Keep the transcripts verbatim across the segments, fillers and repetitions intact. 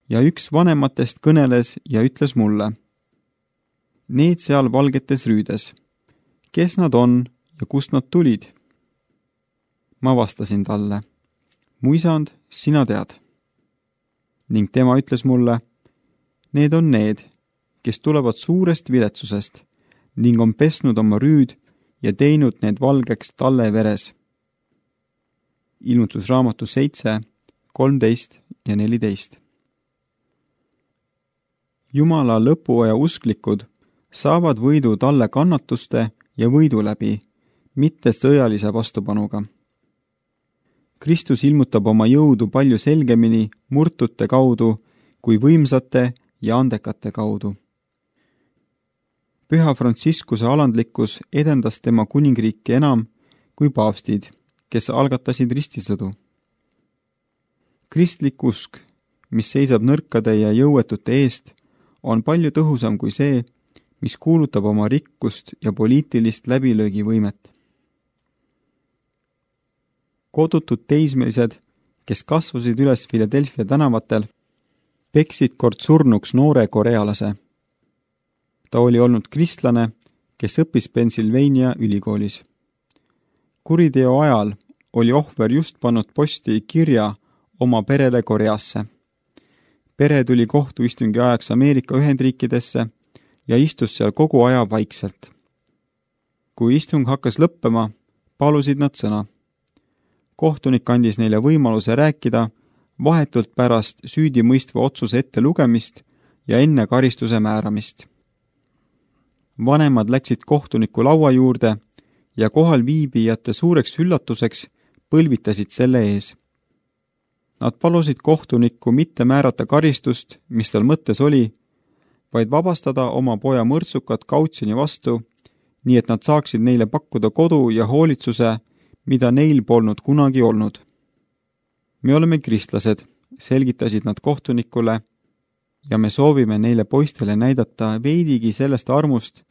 Ja üks vanematest kõneles ja ütles mulle: need seal valgetes rüüdes, kes nad on ja kust nad tulid? Ma vastasin talle: mu isand, sina tead. Ning tema ütles mulle: need on need, kes tulevad suurest viletsusest ning on pesnud oma rüüd ja teinud need valgeks talle veres. Ilmutusraamatu seitse, kolmteist ja neliteist. Jumala lõpuaja usklikud saavad võidu talle kannatuste ja võidu läbi, mitte sõjalise vastupanuga. Kristus ilmutab oma jõudu palju selgemini murtute kaudu kui võimsate ja andekate kaudu. Püha Franciscuse alandlikkus edendas tema kuningriiki enam kui paavstid, kes algatasid ristisõdu. Kristlik usk, mis seisab nõrkade ja jõuetute eest, on palju tõhusam kui see, mis kuulutab oma rikkust ja poliitilist läbilöögivõimet. Kodutud teismelised, kes kasvasid üles Philadelphia tänavatel, peksid kord surnuks noore korealase. Ta oli olnud kristlane, kes õppis Pennsylvania ülikoolis. Kuriteo ajal oli ohver just pannud posti kirja oma perele Koreasse. Pere tuli kohtuistungi ajaks Ameerika Ühendriikidesse ja istus seal kogu aja vaikselt. Kui istung hakkas lõppema, palusid nad sõna. Kohtunik andis neile võimaluse rääkida vahetult pärast süüdimõistva otsuse ette lugemist ja enne karistuse määramist. Vanemad läksid kohtuniku laua juurde ja kohal viibijate suureks üllatuseks põlvitasid selle ees. Nad palusid kohtunikku mitte määrata karistust, mis tal mõttes oli, vaid vabastada oma poja mõrtsukat kautsjoni vastu, nii et nad saaksid neile pakkuda kodu ja hoolitsuse, mida neil polnud kunagi olnud. Me oleme kristlased, selgitasid nad kohtunikule, ja me soovime neile poistele näidata veidigi sellest armust,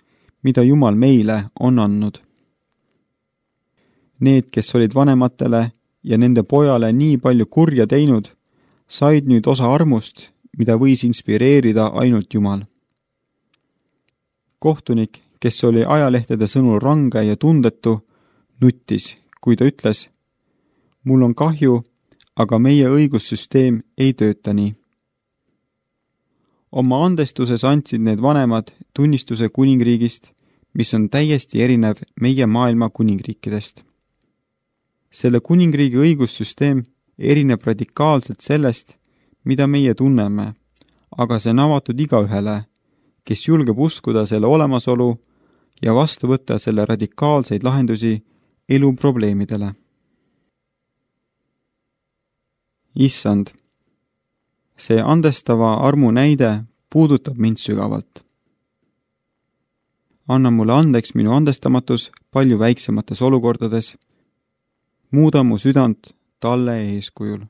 mida Jumal meile on andnud. Need, kes olid vanematele ja nende pojale nii palju kurja teinud, said nüüd osa armust, mida võis inspireerida ainult Jumal. Kohtunik, kes oli ajalehtede sõnul range ja tundetu, nuttis, kui ta ütles: mul on kahju, aga meie õigussüsteem ei tööta nii. Oma andestuses andsid need vanemad tunnistuse kuningriigist, mis on täiesti erinev meie maailma kuningriikidest. Selle kuningriigi õigussüsteem erineb radikaalselt sellest, mida meie tunneme, aga see on avatud igaühele, kes julgeb uskuda selle olemasolu ja vastu võtta selle radikaalseid lahendusi elu probleemidele. Issand, see andestava armu näide puudutab mind sügavalt. Anna mulle andeks minu andestamatus palju väiksemates olukordades. Muuda mu südant talle eeskujul.